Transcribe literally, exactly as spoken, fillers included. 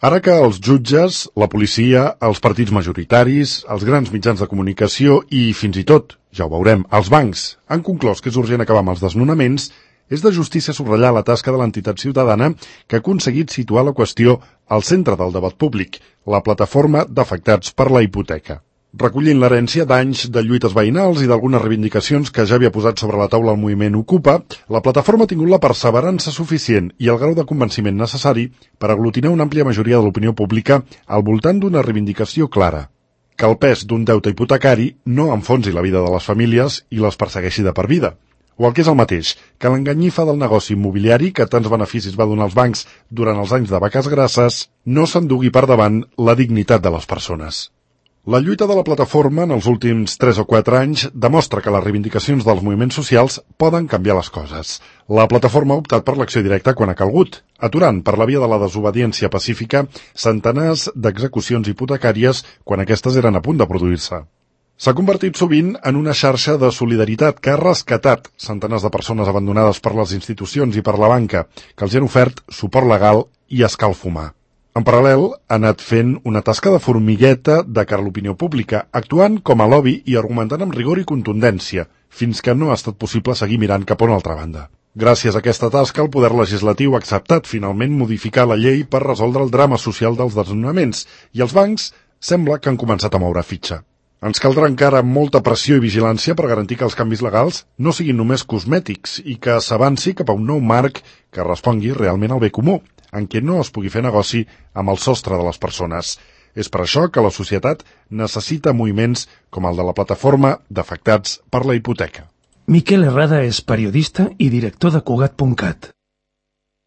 Ara que els jutges, la policia, els partits majoritaris, els grans mitjans de comunicació i, fins i tot, ja ho veurem, els bancs han conclòs que és urgent acabar amb els desnonaments, és de justícia subratllar la tasca de l'entitat ciutadana que ha aconseguit situar la qüestió al centre del debat públic, la plataforma d'afectats per la hipoteca. Recollint l'herència d'anys de lluites veïnals i d'algunes reivindicacions que ja havia posat sobre la taula el moviment Ocupa, la plataforma ha tingut la perseverança suficient i el grau de convenciment necessari per aglutinar una àmplia majoria de l'opinió pública al voltant d'una reivindicació clara: que el pes d'un deute hipotecari no enfonsi la vida de les famílies i les persegueixi de per vida. O el que és el mateix, que l'enganyifa del negoci immobiliari que tants beneficis va donar als bancs durant els anys de vaques grasses no s'endugui per davant la dignitat de les persones. La lluita de la plataforma en els últims tres o quatre anys demostra que les reivindicacions dels moviments socials poden canviar les coses. La plataforma ha optat per l'acció directa quan ha calgut, aturant per la via de la desobediència pacífica centenars d'execucions hipotecàries quan aquestes eren a punt de produir-se. S'ha convertit sovint en una xarxa de solidaritat que ha rescatat centenars de persones abandonades per les institucions i per la banca, que els han ofert suport legal i escalf humà. En paral·lel, ha anat fent una tasca de formigueta de cara a l'opinió pública, actuant com a lobby i argumentant amb rigor i contundència, fins que no ha estat possible seguir mirant cap a una altra banda. Gràcies a aquesta tasca, el poder legislatiu ha acceptat finalment modificar la llei per resoldre el drama social dels desnonaments, i els bancs sembla que han començat a moure fitxa. Ens caldrà encara molta pressió i vigilància per garantir que els canvis legals no siguin només cosmètics i que s'avanci cap a un nou marc que respongui realment al bé comú, en què no es pugui fer negoci amb el sostre de les persones. És per això que la societat necessita moviments com el de la plataforma d'afectats per la hipoteca. Miquel Herrada és periodista i director de Cugat punt cat.